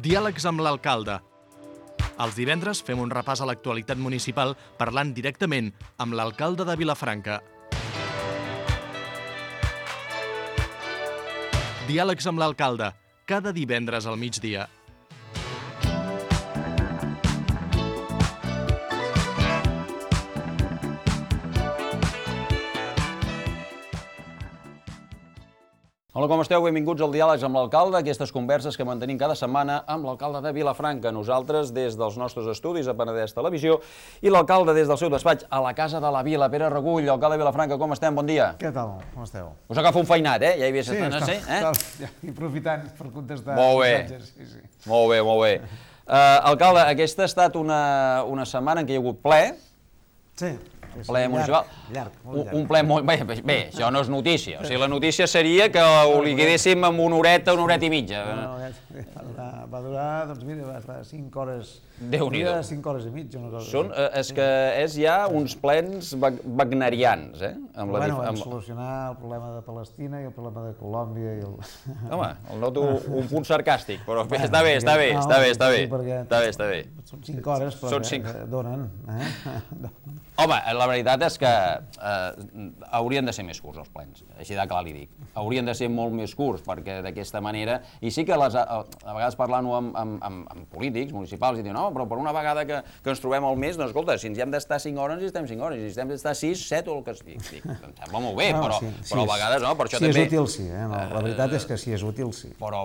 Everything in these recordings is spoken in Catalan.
Diàlegs amb l'alcalde. Els divendres fem un repàs a l'actualitat municipal parlant directament amb l'alcalde de Vilafranca. Diàlegs amb l'alcalde, cada divendres al migdia. Hola, com esteu? Benvinguts al Diàlegs amb l'alcalde, aquestes converses que mantenim cada setmana amb l'alcalde de Vilafranca. Nosaltres des dels nostres estudis a Penedès Televisió i l'alcalde des del seu despatx a la Casa de la Vila. Pere Regull, alcalde de Vilafranca, com estem? Bon dia. Què tal? Com esteu? Us agafa un feinat, ja hi havia Sí, estat, i aprofitant per contestar Molt bé. missatges. Sí. Molt bé, molt bé. Alcalde, aquesta ha estat una setmana en què hi ha hagut ple, ple municipal. Llarg, molt llarg. Un ple molt... Bé, això no és notícia. O sigui, la notícia seria que ho liquidéssim en una horeta i mitja. Va durar, doncs mira, va estar 5 hores... Déu-n'hi-do. 5 hores i mitja, una cosa. És que és ja uns plens wagnerians, Vam solucionar el problema de Palestina i el problema de Colòmbia i el... Home, el noto un punt sarcàstic, però està bé. Són 5 hores, però que donen. Home, la veritat és que haurien de ser més curts els plens, així de clar li dic. Haurien de ser molt més curts, perquè d'aquesta manera... I sí que a vegades parlant-ho amb polítics municipals i diuen, no, però per una vegada que ens trobem al mes, doncs escolta, si ens hi hem d'estar 5 hores, ens hi estem 5 hores, si hem d'estar 6, 7 o el que sigui. Em sembla molt bé, però a vegades no, per això també... Si és útil, sí. La veritat és que si és útil, sí. Però...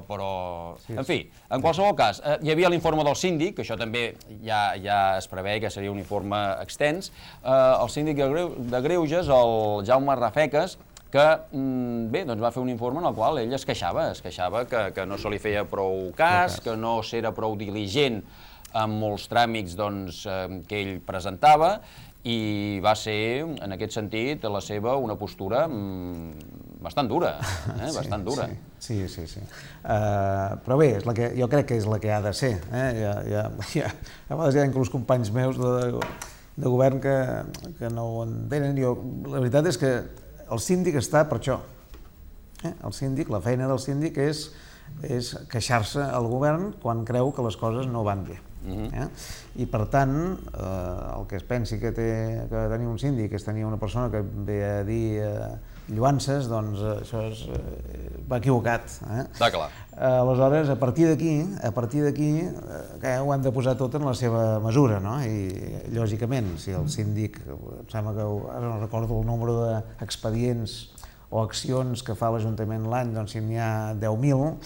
En fi, en qualsevol cas, hi havia l'informe del síndic, que això també ja es preveia que seria un informe extens, el síndic de Greuges, el Jaume Rafeques, que bé, doncs va fer un informe en el qual ell es queixava que no se li feia prou cas, que no s'era prou diligent amb molts tràmits que ell presentava, i va ser, en aquest sentit, la seva una postura bastant dura, bastant dura. Sí. Però bé, jo crec que és la que ha de ser. A vegades hi ha inclús companys meus de govern que no ho entenen. La veritat és que el síndic està per això. El síndic, la feina del síndic és queixar-se al govern quan creu que les coses no van bé. I per tant, el que es pensi que tenir un síndic és tenir una persona que ve a dir lluances, doncs això va equivocat. Està clar. Aleshores, a partir d'aquí ho han de posar tot en la seva mesura, no? I lògicament, si el síndic, em sembla que ara no recordo el número d'expedients o accions que fa l'Ajuntament l'any, doncs si n'hi ha 10.000,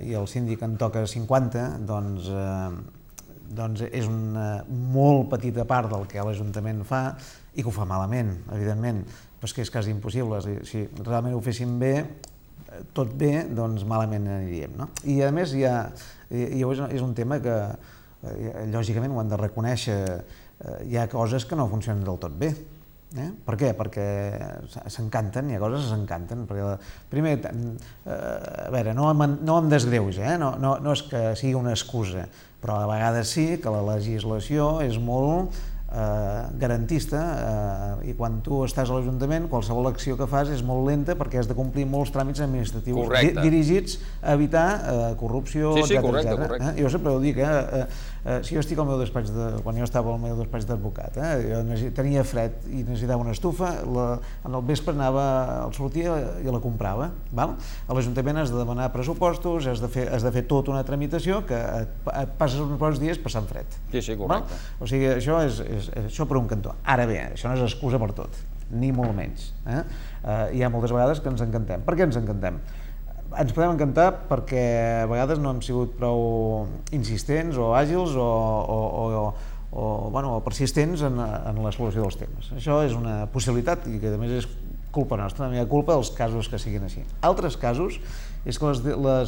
i el síndic en toca 50, doncs és una molt petita part del que l'Ajuntament fa i que ho fa malament, evidentment, però és que és quasi impossible. Si realment ho féssim bé, tot bé, doncs malament aniríem. I a més és un tema que lògicament ho han de reconèixer, hi ha coses que no funcionen del tot bé. Per què? Perquè s'encanten, hi ha coses que s'encanten. Primer, a veure, no em desgreuja, no és que sigui una excusa, però a vegades sí que la legislació és molt garantista i quan tu estàs a l'Ajuntament qualsevol acció que fas és molt lenta perquè has de complir molts tràmits administratius dirigits a evitar corrupció, etc. Jo sempre ho dic, si jo estic al meu despatx, quan jo estava al meu despatx d'advocat, jo tenia fred i necessitava una estufa, en el vespre sortia i la comprava. A l'Ajuntament has de demanar pressupostos, has de fer tota una tramitació que et passes uns bons dies passant fred. Sí, correcte. O sigui, això per un cantó. Ara bé, això no és excusa per tot, ni molt menys. Hi ha moltes vegades que ens encantem. Per què ens encantem? Ens podem encantar perquè a vegades no hem sigut prou insistents o àgils o persistents en la solució dels temes. Això és una possibilitat i que a més és culpa nostra, no hi ha culpa dels casos que siguin així. Altres casos és que la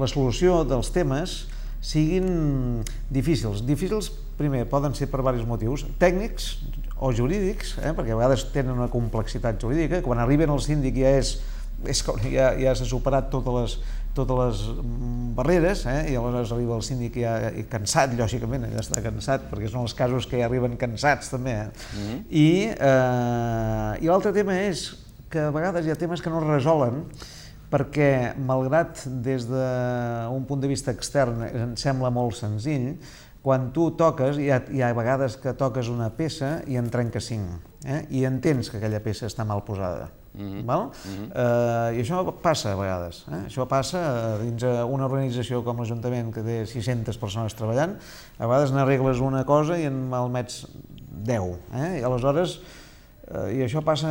solució dels temes siguin difícils. Difícils, primer, poden ser per diversos motius, tècnics o jurídics, perquè a vegades tenen una complexitat jurídica, quan arriben al síndic ja s'ha superat totes les barreres, i aleshores arriba el síndic ja cansat, lògicament, ja està cansat, perquè són els casos que ja arriben cansats també. I l'altre tema és que a vegades hi ha temes que no es resolen perquè, malgrat des d'un punt de vista extern ens sembla molt senzill, quan tu toques, hi ha vegades que toques una peça i en trenca 5, i entens que aquella peça està mal posada. I això passa a vegades. Això passa dins una organització com l'Ajuntament, que té 600 persones treballant, a vegades n'arregles una cosa i en malmets 10. I aleshores, i això passa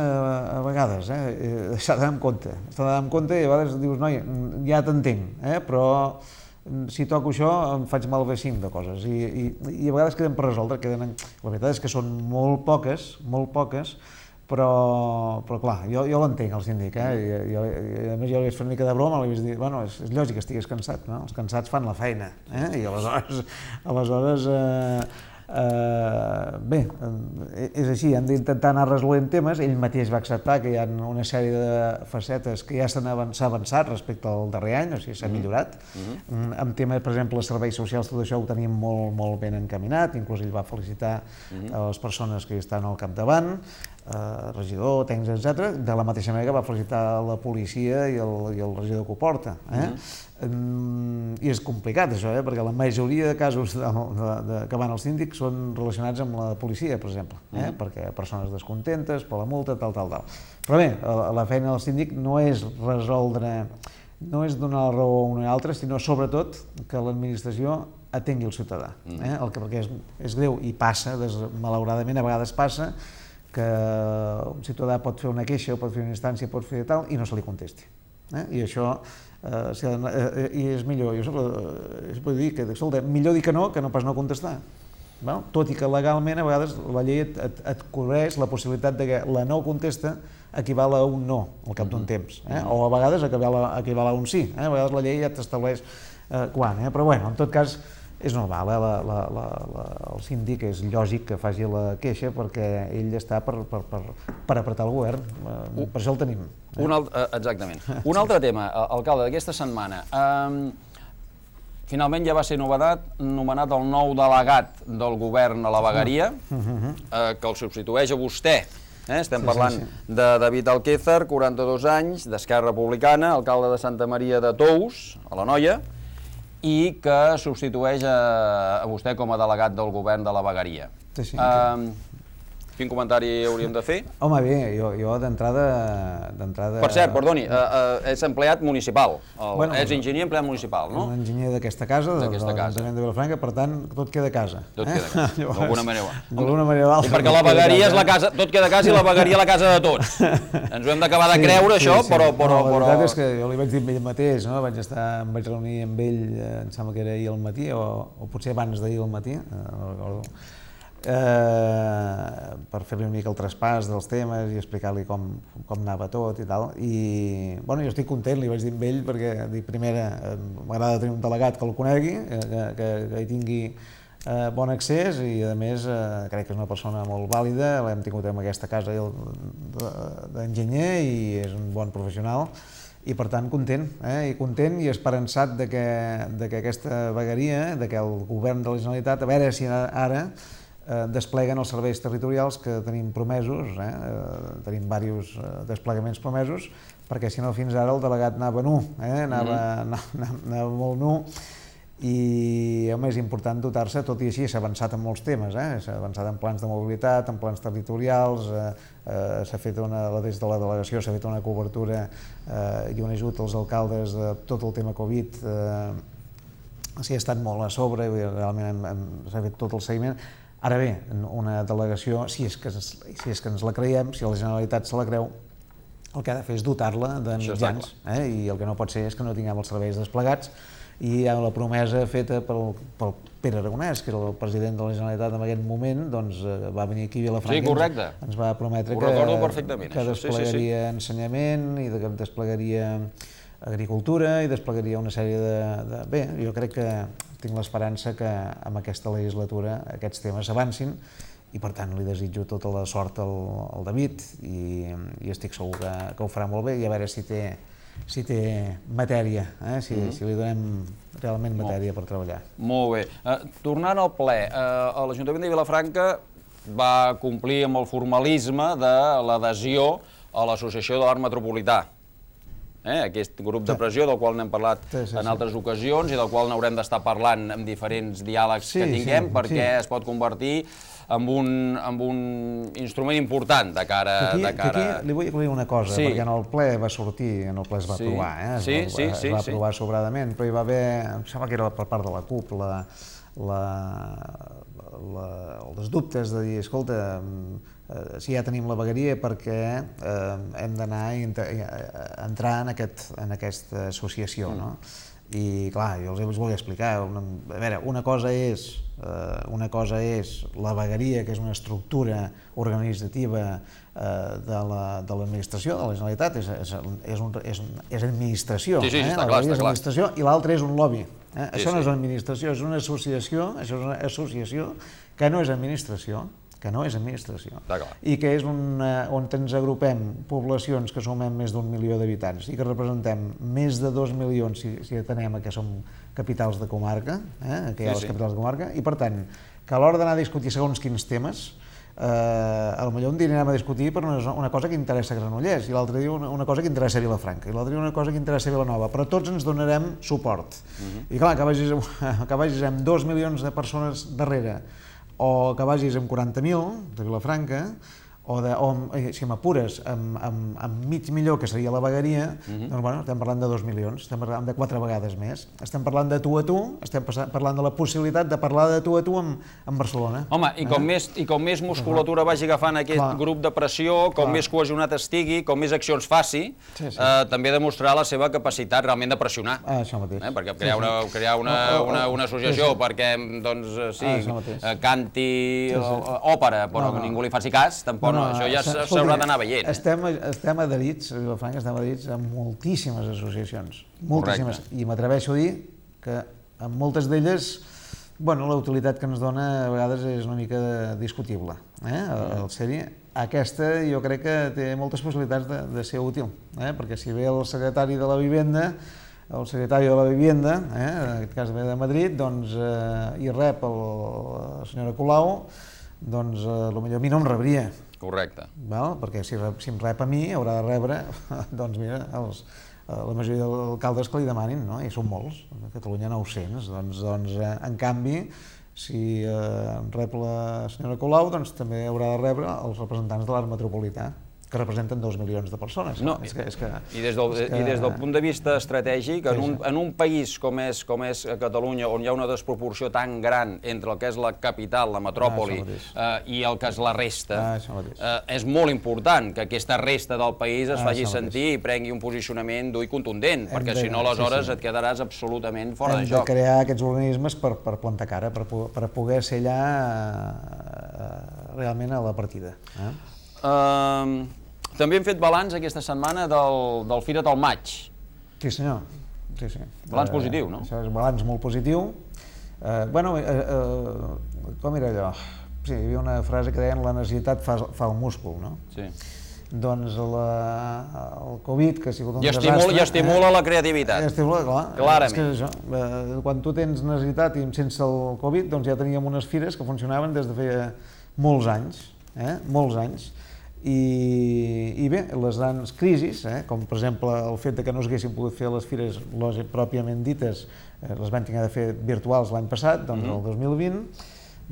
a vegades, s'ha d'anar amb compte. S'ha d'anar amb compte i a vegades dius, noi, ja t'entenc, però si toco això em faig malbé 5 de coses. I a vegades queden per resoldre. La veritat és que són molt poques, però clar, jo l'entenc, el síndic, i a més jo li vaig fer una mica de broma, li vaig dir, bueno, és lògic que estigués cansat, no? Els cansats fan la feina, i aleshores bé, és així, hem d'intentar anar resolent temes. Ell mateix va acceptar que hi ha una sèrie de facetes que ja s'ha avançat respecte al darrer any, o sigui, s'ha millorat. En tema, per exemple, els serveis socials, tot això ho tenim molt ben encaminat, inclús ell va felicitar les persones que hi estan al capdavant, regidor, tècnics, etc. De la mateixa manera que va felicitar la policia i el regidor que ho porta. I és complicat això, perquè la majoria de casos que van al síndic són relacionats amb la policia, per exemple, perquè persones descontentes per la multa, tal. Però bé, la feina del síndic no és resoldre, no és donar la raó a un o altre, sinó sobretot que l'administració atengui el ciutadà, perquè és greu i passa, malauradament a vegades passa, que un ciutadà pot fer una queixa o pot fer una instància, pot fer tal, i no se li contesti. I això és millor, es pot dir que, escolta, millor dir que no pas no contestar. Tot i que legalment a vegades la llei et cobreix la possibilitat que la no contesta equival a un no al cap d'un temps, o a vegades equival a un sí, a vegades la llei ja t'estableix quan, però bueno, en tot cas és normal, el síndic és lògic que faci la queixa perquè ell està per apretar el govern, per això el tenim. Exactament. Un altre tema, alcalde, d'aquesta setmana. Finalment ja va ser nomenat el nou delegat del govern a la vegueria, que el substitueix a vostè. Estem parlant de David Alquézar, 42 anys, d'Esquerra Republicana, alcalde de Santa Maria de Tous, a l'Anoia, i que substitueix a vostè com a delegat del govern de la vegueria. Quin comentari hauríem de fer? Home, bé, jo d'entrada... Per cert, perdoni, és empleat municipal, és enginyer empleat municipal, no? Un enginyer d'aquesta casa, de l'Ajuntament de Vilafranca, per tant, tot queda a casa. Tot queda a casa, d'alguna manera. D'alguna manera. I perquè la vegueria és la casa, tot queda a casa i la vegueria la casa de tots. Ens ho hem d'acabar de creure, això, però... La veritat és que jo li vaig dir a ell mateix, em vaig reunir amb ell, em sembla que era ahir al matí, o potser abans d'ahir al matí, no recordo, per fer-li una mica el traspàs dels temes i explicar-li com anava tot i tal. I jo estic content, li vaig dir amb ell, perquè primera, m'agrada tenir un delegat que el conegui, que hi tingui bon accés i a més crec que és una persona molt vàlida, l'hem tingut en aquesta casa d'enginyer i és un bon professional. I per tant content i esperançat que aquesta vegueria, que el govern de la Generalitat, a veure si ara despleguen els serveis territorials que tenim promesos, tenim diversos desplegaments promesos, perquè si no fins ara el delegat anava nu, anava molt nu, i és important dotar-se, tot i així s'ha avançat en molts temes, s'ha avançat en plans de mobilitat, en plans territorials, s'ha fet des de la delegació s'ha fet una cobertura i un ajut als alcaldes de tot el tema Covid, s'hi ha estat molt a sobre, realment s'ha fet tot el seguiment. Ara bé, una delegació, si és que ens la creiem, si la Generalitat se la creu, el que ha de fer és dotar-la de mitjans, i el que no pot ser és que no tinguem els serveis desplegats, i hi ha la promesa feta pel Pere Aragonès, que era el president de la Generalitat en aquell moment, doncs va venir aquí a Vilafranca i ens va prometre que desplegaria ensenyament i que desplegaria agricultura i desplegaria una sèrie de... Bé, jo crec que tinc l'esperança que amb aquesta legislatura aquests temes avancin i per tant li desitjo tota la sort al David i estic segur que ho farà molt bé i a veure si té matèria, si li donem realment matèria per treballar. Molt bé. Tornant al ple, l'Ajuntament de Vilafranca va complir amb el formalisme de l'adhesió a l'Associació de l'Art Metropolità. aquest grup de pressió del qual n'hem parlat en altres ocasions i del qual n'haurem d'estar parlant en diferents diàlegs que tinguem perquè es pot convertir en un instrument important de cara... Aquí li vull dir una cosa, perquè en el ple va sortir, en el ple es va aprovar, es va aprovar sobradament, però hi va haver, em sembla que era per part de la CUP, els dubtes de dir, escolta, si ja tenim la vegueria, perquè hem d'anar a entrar en aquesta associació, no? I clar, jo els volia explicar, a veure, una cosa és la vegueria, que és una estructura organitzativa de l'administració, de la Generalitat, és administració, la vegueria és administració, i l'altra és un lobby. Això no és administració, és una associació, això és una associació que no és administració, i que és on ens agrupem poblacions que sumem més d'1 milió d'habitants i que representem més de 2 milions si atenem que som capitals de comarca, que hi ha les capitals de comarca, i per tant, que a l'hora d'anar a discutir segons quins temes, potser un dia anirem a discutir per una cosa que interessa a Granollers, i l'altre dia una cosa que interessa a Vilafranca, i l'altre dia una cosa que interessa a Vilanova, però tots ens donarem suport. I clar, que vagis amb 2 milions de persones darrere, o que vagis amb 40.000 de Vilafranca, o si m'apures amb mig milió, que seria la vegueria, doncs bueno, estem parlant de 2 milions, estem parlant de 4 vegades més. Estem parlant de tu a tu, estem parlant de la possibilitat de parlar de tu a tu amb Barcelona. Home, i com més musculatura vagi agafant aquest grup de pressió, com més cohesionat estigui, com més accions faci, també demostrarà la seva capacitat realment de pressionar. Això mateix. Perquè crear una associació perquè, doncs, sí, canti òpera, però ningú li faci cas, tampoc no, això ja s'haurà d'anar veient. Estem adherits, a Vilafranca estem adherits a moltíssimes associacions, moltíssimes, i m'atreveixo a dir que en moltes d'elles, bueno, la utilitat que ens dona a vegades és una mica discutible, el ser-hi. Aquesta jo crec que té moltes possibilitats de ser útil, perquè si ve el secretari de la Vivenda, en aquest cas ve de Madrid, i rep la senyora Colau, doncs potser a mi no em rebria. Correcte. Perquè si em rep a mi haurà de rebre, doncs mira, la majoria d'alcaldes que li demanin, i són molts, a Catalunya 900, doncs en canvi, si rep la senyora Colau, doncs també haurà de rebre els representants de l'art metropolità, que representen 2 milions de persones. I des del punt de vista estratègic, en un país com és Catalunya, on hi ha una desproporció tan gran entre el que és la capital, la metròpoli, i el que és la resta, és molt important que aquesta resta del país es faci sentir i prengui un posicionament dur i contundent, perquè si no, aleshores et quedaràs absolutament fora de joc. Hem de crear aquests organismes per plantar cara, per poder ser allà realment a la partida. També hem fet balanç aquesta setmana del Fira't al Maig. Sí, senyor. Balanç positiu, no? Això és un balanç molt positiu. Com era allò? Sí, hi havia una frase que deien la necessitat fa el múscul, no? Sí. Doncs el Covid, que ha sigut un desastre... I estimula la creativitat. Estimula, clar. Clarament. Quan tu tens necessitat i sense el Covid, doncs ja teníem unes fires que funcionaven des de feia molts anys. I bé, les grans crisis, com per exemple el fet que no s'haguessin pogut fer les fires pròpiament dites, les vam haver de fer virtuals l'any passat, doncs el 2020,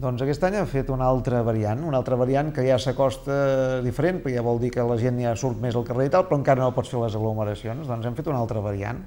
doncs aquest any hem fet una altra variant que ja s'acosta diferent, perquè ja vol dir que la gent ja surt més al carrer i tal, però encara no pots fer les aglomeracions, doncs hem fet una altra variant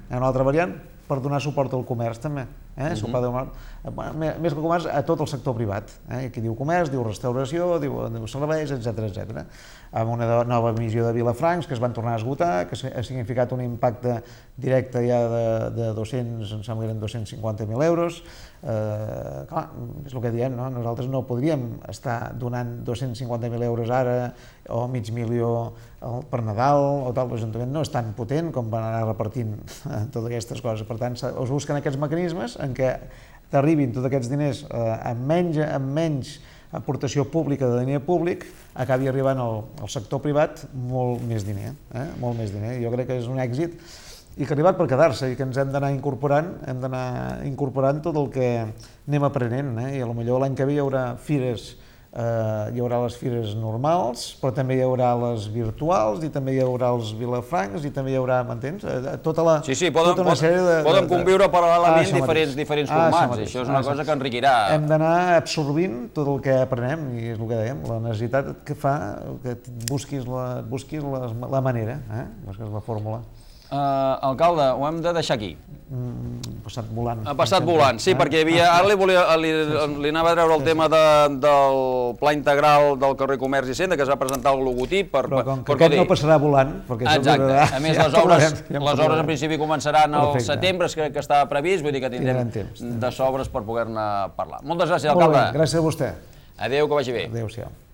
per donar suport al comerç també, més que el comerç a tot el sector privat, aquí diu comerç, diu restauració, diu serveis, etc. Amb una nova emissió de Vilafrancs que es van tornar a esgotar, que ha significat un impacte directe ja de 200, em sembla que eren 250.000 euros. Clar, és el que diem, nosaltres no podríem estar donant 250.000 euros ara o mig milió per Nadal o tal, l'Ajuntament no és tan potent com van anar repartint totes aquestes coses. Per tant, es busquen aquests mecanismes en què t'arribin tots aquests diners amb menys aportació pública de diner públic, acabi arribant al sector privat molt més diner. Jo crec que és un èxit i que ha arribat per quedar-se i que ens hem d'anar incorporant tot el que anem aprenent. I potser l'any que ve hi haurà fires hi haurà les fires normals, però també hi haurà les virtuals, i també hi haurà els vilafrancs, i també hi haurà, m'entens? Tota una sèrie de... Poden conviure paral·lelament diferents formats, i això és una cosa que enriquirà. Hem d'anar absorbint tot el que aprenem, i és el que dèiem, la necessitat que fa que busquis la manera, busquis la fórmula. Alcalde, ho hem de deixar aquí. Passat volant. Ha passat volant, sí, perquè ara li anava a treure el tema del pla integral del carrer Comerç i Cenda, que es va presentar el logotip. Però com que aquest no passarà volant... Exacte, a més les obres en principi començaran al setembre, crec que estava previst, vull dir que tindrem de sobres per poder-ne parlar. Moltes gràcies, alcalde. Gràcies a vostè. Adéu, que vagi bé. Adéu-siau.